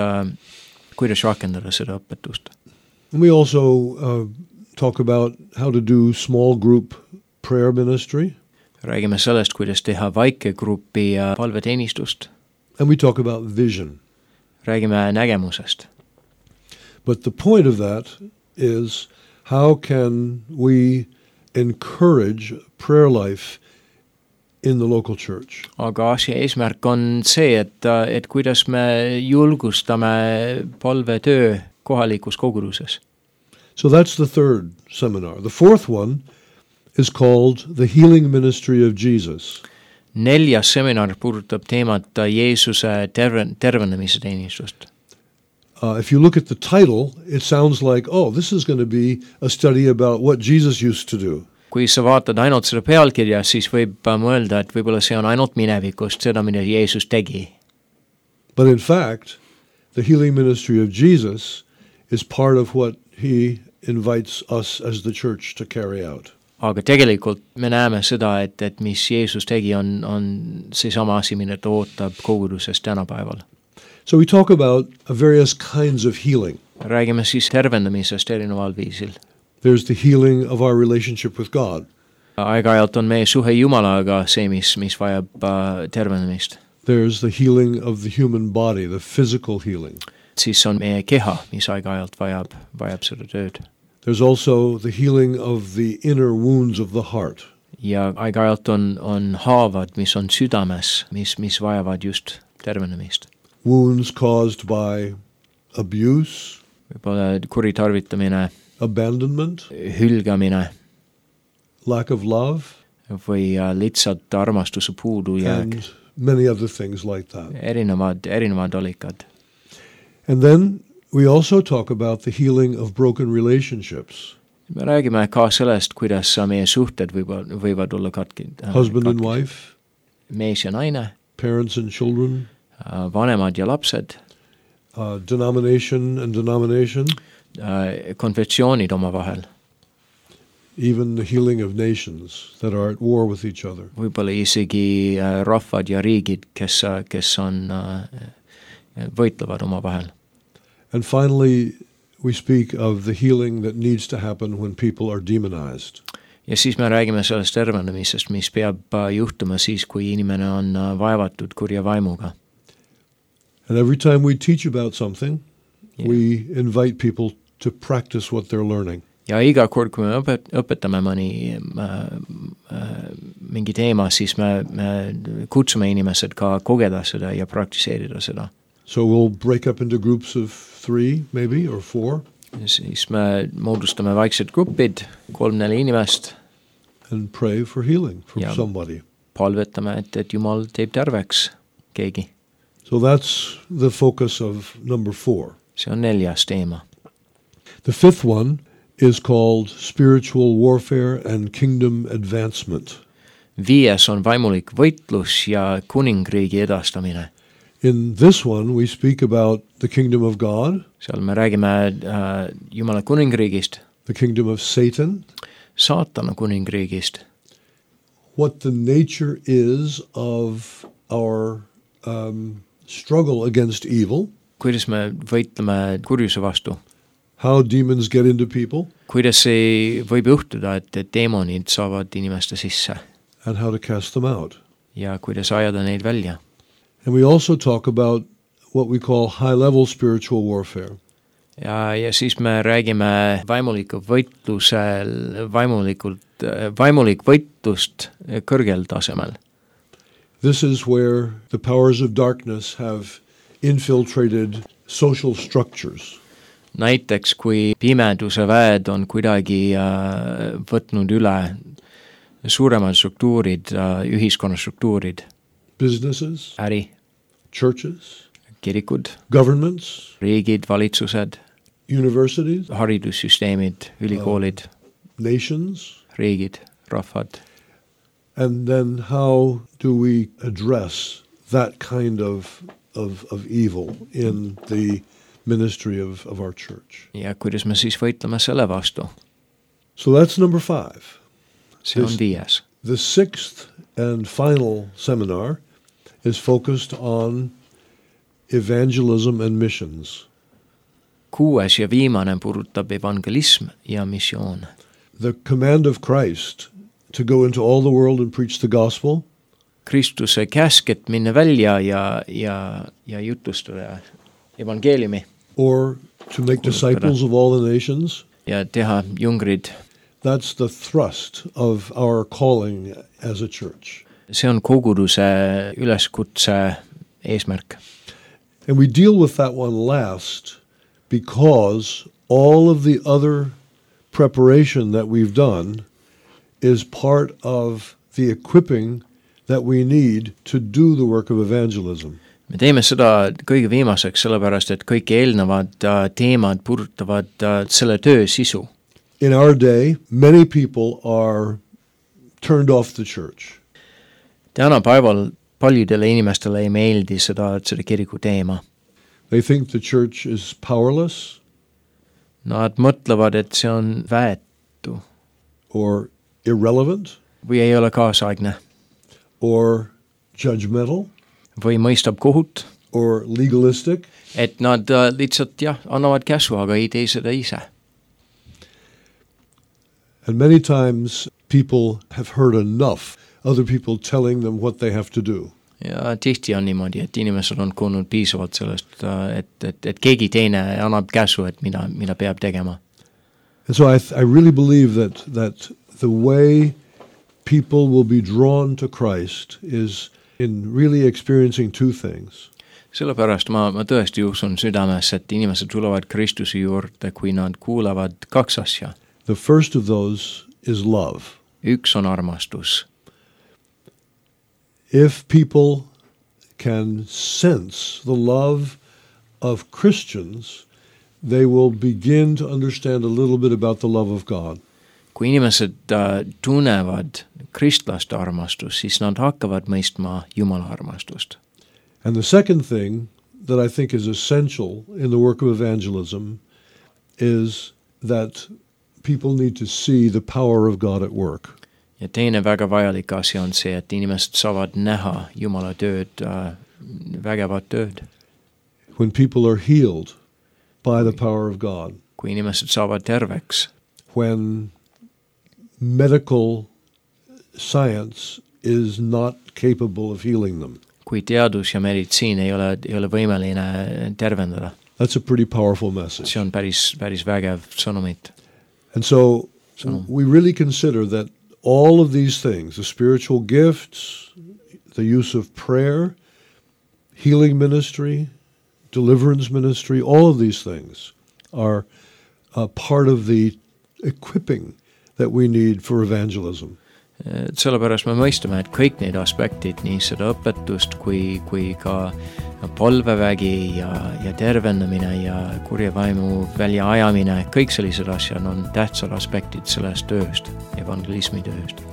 kuidas rakendada seda õpetust. And we also talk about how to do small group prayer ministry. Räägime sellest, kuidas teha väikegrupi palveteenistust. And we talk about vision. Räägime nägemusest. But the point of that is how can we encourage prayer life in the local church? Aga asja eesmärk on see, et kuidas me julgustame palvetöö kohalikus koguduses. So that's the third seminar. The fourth one is called The Healing Ministry of Jesus. 4. seminar puudutab teemat Jeesuse tervenemise teenistust. If you look at the title, it sounds like, oh, this is going to be a study about what Jesus used to do. Kui sa vaatad ainult seda pealkirja, siis võib mõelda, et võib-olla see on ainult minevikust, seda, mida Jeesus tegi. But in fact, the healing ministry of Jesus is part of what he invites us as the church to carry out. Aga tegelikult me näeme seda, et mis Jeesus tegi, on seesama asi, mida ta ootab koguduses tänapäeval. So we talk about various kinds of healing. Räägime siis tervendamisest erineval viisil. There's the healing of our relationship with God. Aeg-ajalt on meie suhe Jumalaga see, mis vajab tervenemist. There's the healing of the human body, the physical healing. Siis on meie keha, mis aeg-ajalt vajab seda tööd. There's also the healing of the inner wounds of the heart. Ja aeg-ajalt on haavad, mis on südames, mis vajavad just tervenemist. Wounds caused by abuse, Võib-olla kuritarvitamine, abandonment, hülgamine lack of love, või lihtsalt armastuse puudujääk. and many other things like that. Erinevad allikad. And then we also talk about the healing of broken relationships. Me räägime ka sellest, kuidas meie suhted võivad olla Husband and wife, mees ja naine, parents and children, vanemad ja lapsed, denomination and denomination, konfessioonid omavahel, even the healing of nations that are at war with each other. võib-olla isegi rahvad ja riigid, kes on võitlevad omavahel. And finally, we speak of the healing that needs to happen when people are demonized. Ja siis me räägime sellest tervenemisest, mis peab juhtuma siis, kui inimene on vaevatud kurja vaimuga. And every time we teach about something, we invite people to practice what they're learning. Ja iga kord, kui me õpetame mingi teema, siis me kutsume inimesed ka kogeda seda ja praktiseerida seda. So we'll break up into groups of 3 maybe or 4. Ja siis me moodustame väiksed grupid, 3-4 inimest. And pray for healing from somebody. Palvetame, et Jumal teeb terveks keegi. So that's the focus of number 4. See on 4. teema. The 5th one is called Spiritual Warfare and Kingdom Advancement. 5. on vaimulik võitlus ja kuningriigi edastamine. In this one we speak about the kingdom of God, Seal me räägime Jumala kuningriigist, the kingdom of Satan, saatana kuningriigist, what the nature is of our struggle against evil, kuidas me võitleme kurjuse vastu, how demons get into people, kuidas see võib juhtuda, et deemonid saavad inimeste sisse and how to cast them out. ja kuidas ajada neid välja. And we also talk about what we call high-level spiritual warfare. ja siis me räägime vaimulik võitlust kõrgel tasemel. This is where the powers of darkness have infiltrated social structures. Näiteks, kui pimeduse väed on kuidagi võtnud üle suuremad struktuurid, ühiskonnastruktuurid. Businesses, äri, churches, kirikud, governments, riigid, valitsused, universities, haridussüsteemid, ülikoolid, nations. riigid, rahvad. And then how do we address that kind of evil in the ministry of our church? Ja kuidas me siis võitleme selle vastu? So that's number 5. See on 5. The 6th and final seminar is focused on evangelism and missions. 6. ja viimane puudutab evangelism ja missioon. The command of Christ to go into all the world and preach the gospel. Kristuse käsk, et minna välja ja jutustada evangeeliumi. Or to make disciples of all the nations. Ja teha jungrid. That's the thrust of our calling as a church. See on koguduse üleskutse eesmärk. And we deal with that one last because all of the other preparation that we've done is part of the equipping that we need to do the work of evangelism. Me teeme seda kõige viimaseks, sellepärast et kõik eelnevad teemad puudutavad selle töö sisu. In our day, many people are turned off the church. Tänapäeval paljudele inimestele ei meeldi seda kiriku teema. They think the church is powerless. Nad mõtlevad, et see on väetu. Or irrelevant. Või ei ole kaasaegne. Or judgmental. Või mõistab kohut. Or legalistic. Et nad lihtsalt annavad käsu, aga ei tee seda ise. And many times people have heard enough other people telling them what they have to do. Ja tihti on niimoodi, et inimesed on kuulnud piisavalt sellest, et keegi teine annab käsu, et mida peab tegema. And so I really believe that the way people will be drawn to Christ is in really experiencing 2 things. Sellepärast ma tõesti usun südames, et inimesed tulevad Kristuse juurde, kui nad kuulavad 2 asja. The first of those is love. Üks on armastus. If people can sense the love of Christians, they will begin to understand a little bit about the love of God. Kui inimesed tunnevad kristlaste armastust, siis nad hakkavad mõistma Jumala armastust. And the second thing that I think is essential in the work of evangelism is that people need to see the power of God at work. Ja teine väga vajalik asi on see, et inimesed saavad näha Jumala tööd, vägevat tööd. When people are healed by the power of God. Kui inimesed saavad terveks. When medical science is not capable of healing them. Kui teadus ja meditsiin ei ole võimeline tervendada. That's a pretty powerful message. See on päris vägev sõnumit. And so we really consider that all of these things, the spiritual gifts, the use of prayer, healing ministry, deliverance ministry, all of these things are part of the equipping that we need for evangelism. Sellepärast me mõistame, et kõik need aspektid, nii seda õpetust kui ka palvevägi ja tervendamine ja kurja vaimu väljaajamine, kõik sellised asjad on tähtsad aspektid sellest tööst, evangelismi tööst.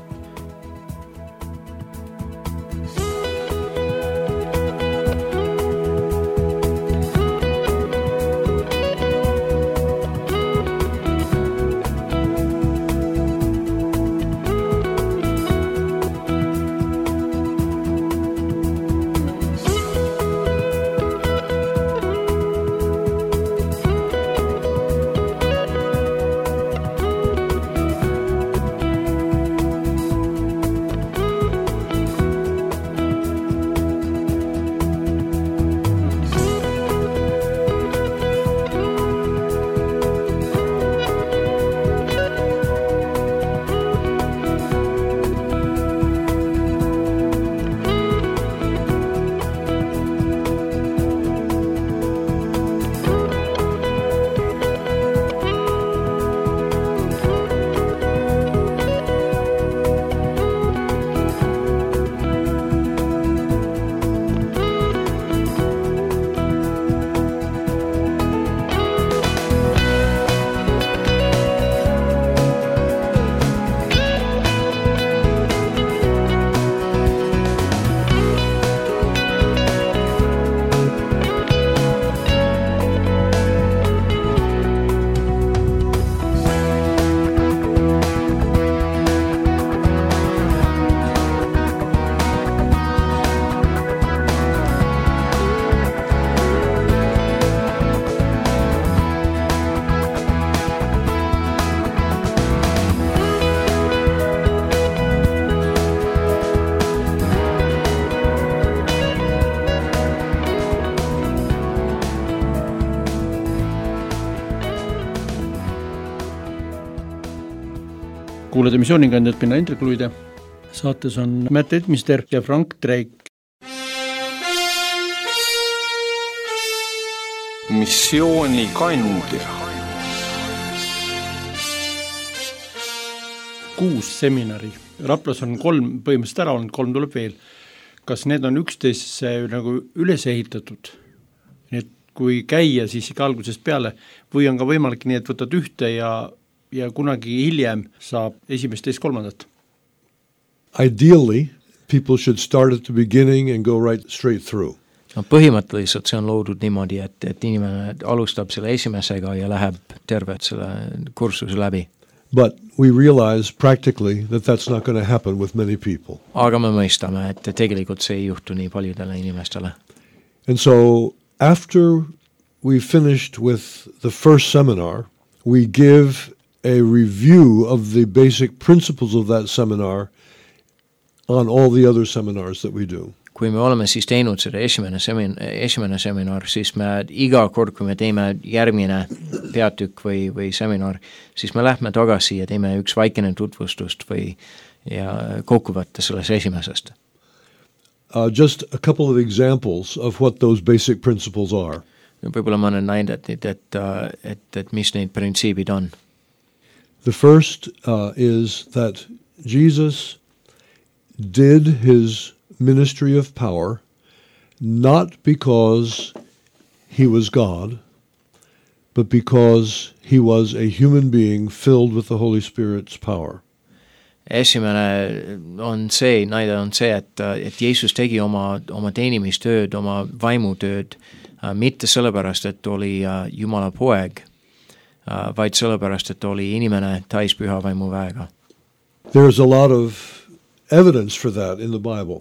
kuulade missioonikandjat Minna Indrek Luide. Saates on Matt Edmister ja Frank Drake. Missioonikandja. 6 seminari. Raplas on 3 põhimõtteliselt ära olnud, 3 tuleb veel. Kas need on üksteise nagu üles ehitatud? Nii et kui käia siis ikka algusest peale või on ka võimalik nii, et võtad ühte ja kunagi hiljem saab esimest, teist, kolmandat? Ideally, people should start at the beginning and go right straight through. No, põhimõtteliselt see on loodud niimoodi, et inimene alustab selle esimesega ja läheb tervet selle kursuse läbi. But we realize practically that that's not going to happen with many people. Aga me mõistame, et tegelikult see ei juhtu nii paljudele inimestele. And so after we finished with the first seminar, we give a review of the basic principles of that seminar on all the other seminars that we do. Kui me oleme siis teinud seda esimene seminar, siis me iga kord, kui me teeme järgmine peatükk või seminar, siis me lähme tagasi ja teeme üks väikene tutvustust ja kokkuvõtte selles esimesest. Just a couple of examples of what those basic principles are. Võib-olla ma olen näinud, et mis neid printsiibid on. The first is that Jesus did his ministry of power not because he was God, but because he was a human being filled with the Holy Spirit's power. Esimene näide on see, et Jeesus tegi oma teenimistööd, oma vaimutööd, mitte sellepärast, et oli Jumala poeg, vaid sellepärast, et oli inimene täis püha vaimu väega. There's a lot of evidence for that in the Bible.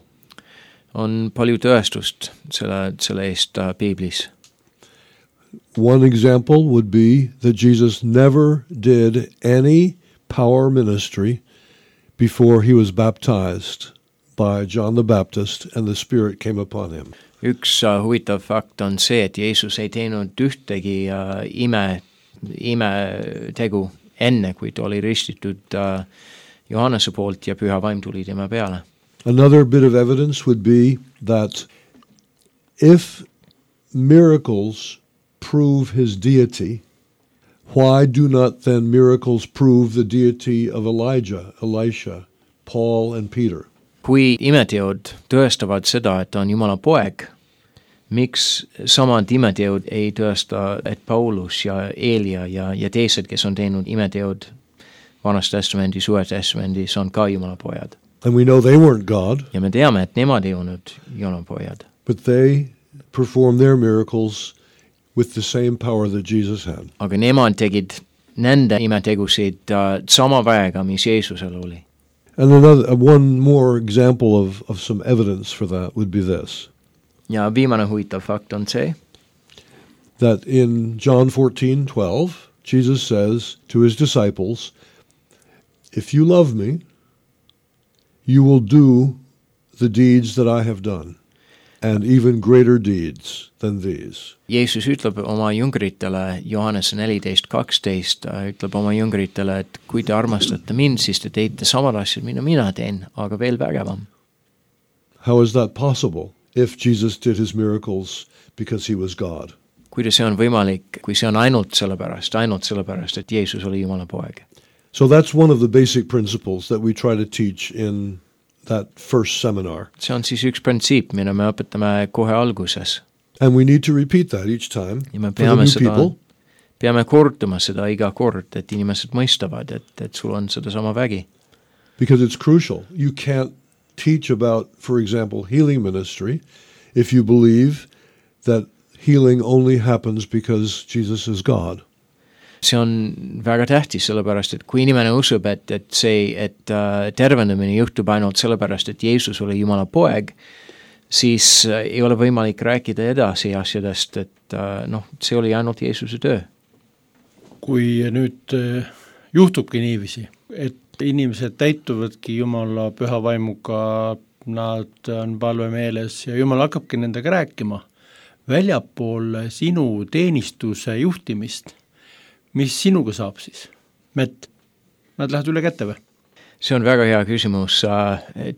On palju tõestust selle eest Piiblis. One example would be that Jesus never did any power ministry before he was baptized by John the Baptist and the Spirit came upon him. Üks huvitav fakt on see, et Jeesus ei teinud ühtegi imetegu enne, kui ta oli ristitud Johannese poolt ja püha vaim tuli tema peale. Another bit of evidence would be that if miracles prove his deity, why do not then miracles prove the deity of Elijah, Elisha, Paul and Peter? Kui imeteod tõestavad seda, et on Jumala poeg, miks samad imeteod ei tõesta, et Paulus ja Eelia ja teised, kes on teinud imeteod Vanas testamendis, Uues testamendis, on ka Jumala pojad? And we know they weren't God. Ja me teame, et nemad ei olnud Jumala pojad. But they performed their miracles with the same power that Jesus had. Aga nemad tegid nende imetegusid sama väega, mis Jeesusel oli. And one more example of some evidence for that would be this. Ja viimane huvitav fakt on see, that in John 14:12, Jesus says to his disciples, if you love me, you will do the deeds that I have done, and even greater deeds than these. Jeesus ütleb oma jüngritele, Johannese 14:12, ütleb oma jüngritele, et kui te armastate mind, siis te teete samad asjad, mida mina teen, aga veel vägevam. How is that possible if Jesus did his miracles because he was God? Kuidas see on võimalik, kui see on ainult sellepärast, et Jeesus oli Jumala poeg? So that's one of the basic principles that we try to teach in that first seminar. See on siis üks printsiip, mida me õpetame kohe alguses. And we need to repeat that each time ja me for the new people. Peame kordama seda iga kord, et inimesed mõistavad, et sul on seda sama vägi. Because it's crucial. You can't teach about, for example, healing ministry if you believe that healing only happens because Jesus is God. See on väga tähtis, sellepärast, et kui inimene usub, et tervendamine juhtub ainult sellepärast, et Jeesus oli Jumala poeg, siis ei ole võimalik rääkida edasi asjadest, et see oli ainult Jeesuse töö. Kui nüüd juhtubki niiviisi, et inimesed täituvadki Jumala püha vaimuga, nad on palvemeeles ja Jumal hakkabki nendega rääkima väljapool sinu teenistuse juhtimist, mis sinuga saab siis? Mätt, nad lähed üle kätte või? See on väga hea küsimus.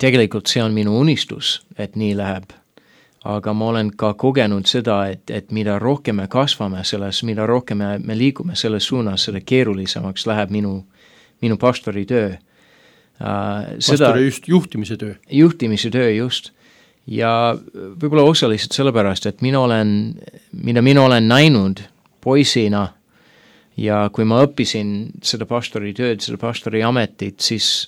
Tegelikult see on minu unistus, et nii läheb. Aga ma olen ka kogenud seda, et mida rohkem me kasvame selles, mida rohkem me liigume selles suunas, seda keerulisemaks läheb minu pastori töö. Pastori just juhtimise töö. Juhtimise töö, just. Ja võib-olla osaliselt sellepärast, et mida mina olen näinud poisina ja kui ma õppisin seda pastori tööd, seda pastori ametit, siis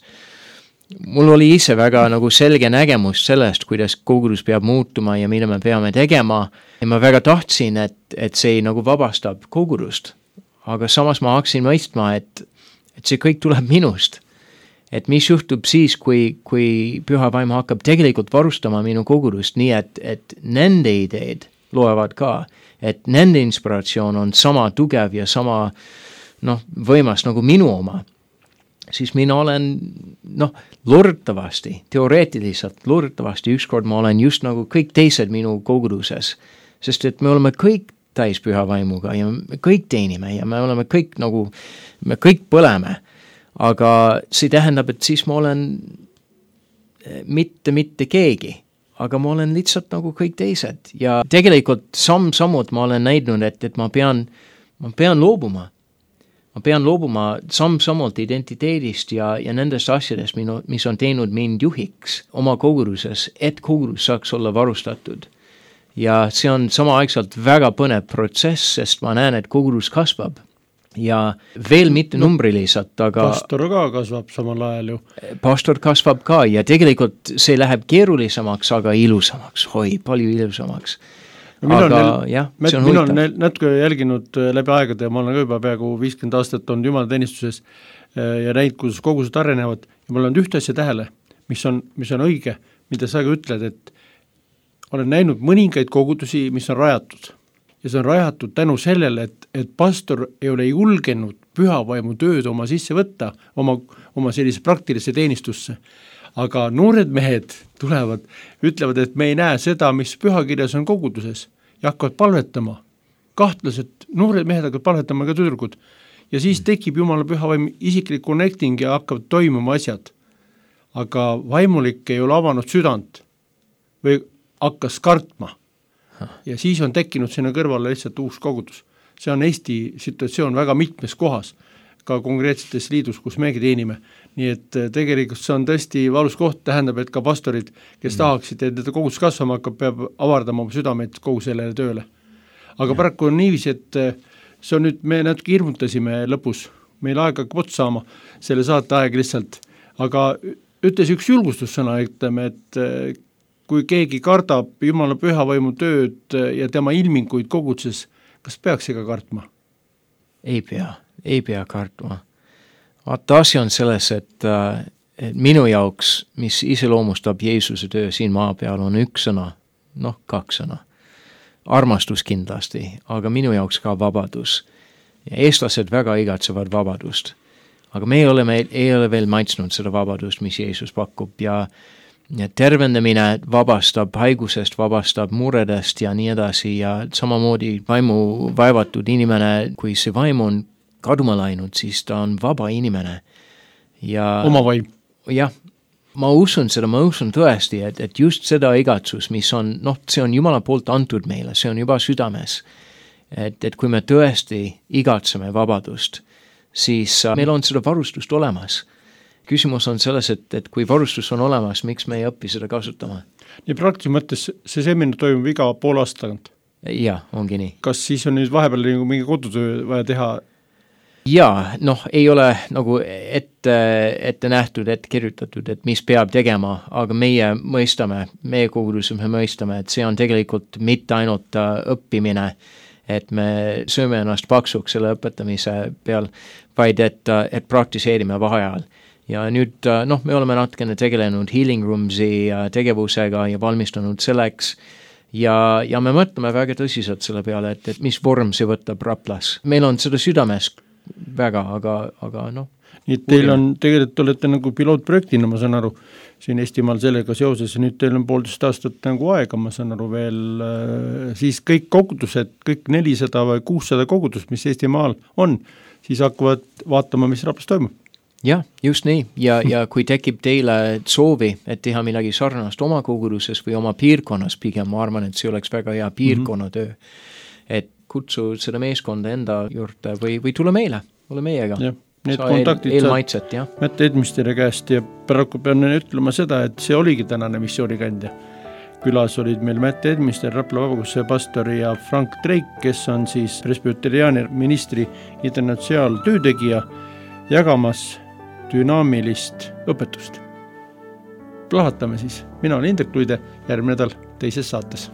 mul oli ise väga nagu selge nägemus sellest, kuidas kogudus peab muutuma ja mida me peame tegema. Ja ma väga tahtsin, et see nagu vabastab kogudust. Aga samas ma hakkasin mõistma, et see kõik tuleb minust. Et mis juhtub siis, kui Püha Vaim hakkab tegelikult varustama minu kogudust nii, et nende ideed loevad ka, et nende inspiratsioon on sama tugev ja sama võimas nagu minu oma. Siis mina olen, loodetavasti ükskord ma olen just nagu kõik teised minu koguduses, sest et me oleme kõik täis Püha Vaimuga ja me kõik teenime ja me oleme kõik me kõik põleme, aga see tähendab, et siis ma olen mitte keegi, aga ma olen lihtsalt nagu kõik teised ja tegelikult sammud ma olen näidnud, et ma pean loobuma. Ma pean loobuma sammult identiteedist ja nendest asjadest, mis on teinud mind juhiks oma koguduses, et kogudus saaks olla varustatud. Ja see on samaaegselt väga põnev protsess, sest ma näen, et kogudus kasvab. Ja veel mitte numbriliselt, aga pastor ka kasvab samal ajal ju. Pastor kasvab ka ja tegelikult see läheb keerulisemaks, aga ilusamaks, palju ilusamaks. Mina olen natuke jälginud läbi aegade ja ma olen juba peaaegu 50 aastat olnud jumalateenistuses ja näinud, kuidas kogused arenevad ja ma olen ühte asja tähele, mis on õige, mida sa ka ütled, et olen näinud mõningaid kogudusi, mis on rajatud ja see on rajatud tänu sellele, et pastor ei ole julgenud Püha Vaimu tööd oma sisse võtta, oma sellise praktilisse teenistusse. Aga noored mehed tulevad, ütlevad, et me ei näe seda, mis pühakirjas on koguduses ja hakkavad palvetama. Kahtlased noored mehed hakkavad palvetama ka tüdrukud. Ja siis tekib Jumala Püha Vaim isiklik connecting ja hakkavad toimuma asjad. Aga vaimulik ei ole avanud südant või hakkas kartma. Ja siis on tekkinud sinna kõrvale lihtsalt uus kogudus. See on Eesti situatsioon väga mitmes kohas, ka konkreetsetes liidus, kus megi teenime. Nii et tegelikult see on tõesti valus koht, tähendab, et ka pastorid, kes tahaksid, et kogudus kasvama hakkab, peab avardama oma südameid kogu sellele tööle. Aga paraku on niiviisi, et see on nüüd, me natuke hirmutasime lõpus, meil aeg hakkab otsa saama, selle saate aeg lihtsalt, aga ütles üks julgustussõna, ütleme, et kui keegi kardab Jumala Püha Vaimu tööd ja tema ilminguid koguduses, kas peaks ega kartma? Ei pea kartma. Vaata, asi on selles, et minu jaoks, mis iseloomustab Jeesuse töö siin maa peal, on üks sõna, 2 sõna. Armastus kindlasti, aga minu jaoks ka vabadus. Ja eestlased väga igatsevad vabadust. Aga me ei ole veel maitsnud seda vabadust, mis Jeesus pakub ja tervendamine vabastab haigusest, vabastab muredest ja nii edasi ja samamoodi vaimu vaevatud inimene, kui see vaim on kaduma läinud, siis ta on vaba inimene. Ja, oma vaim. Jah, ma usun tõesti, et just seda igatsus, mis on, see on Jumala poolt antud meile, see on juba südames. Et kui me tõesti igatseme vabadust, siis meil on seda varustust olemas. Küsimus on selles, et kui varustus on olemas, miks me ei õpi seda kasutama? Nii praktilises mõttes see seminar toimub iga pool aasta tagant? Jah, ongi nii. Kas siis on nüüd vahepeal mingi kodutöö vaja teha? Jaa, ei ole nagu ette nähtud, ette kirjutatud, et mis peab tegema, aga meie koguduses me mõistame, et see on tegelikult mitte ainult õppimine, et me sööme ennast paksuks selle õpetamise peal, vaid et praktiseerime vaheajal. Ja nüüd me oleme natukene tegelenud Healing Roomsi tegevusega ja valmistanud selleks ja me mõtleme väga tõsiselt selle peale, et mis vorm see võtab Raplas. Meil on seda südames väga, aga Nii et teil on, tegelikult olete nagu pilootprojektina, ma saan aru, siin Eestimaal sellega seoses, nüüd teil on 1,5 aastat nagu aega, ma saan aru veel, siis kõik kogudused, kõik 400 või 600 kogudust, mis Eestimaal on, siis hakkavad vaatama, mis Raplas toimub. jah, just nii ja kui tekib teile soovi, et teha midagi sarnast oma koguduses või oma piirkonnas pigem, ma arvan, et see oleks väga hea piirkonnatöö. Et kutsu seda meeskonda enda juurde või tule meile, ole meiega. Jah, need kontaktid eelmaitset, jah. Mätt Edmisteri käest ja paraku pean ütlema seda, et see oligi tänane missioonikandja. Külas olid meil Mätt Edmister, Rapla Vabakuse pastor ja Frank Treik, kes on siis presbyteriaani ministri internatsionaaltöötegija, jagamas dünaamilist õpetust. Plahatame siis. Mina olen Indrek Luide, järgmine nädal teises saates.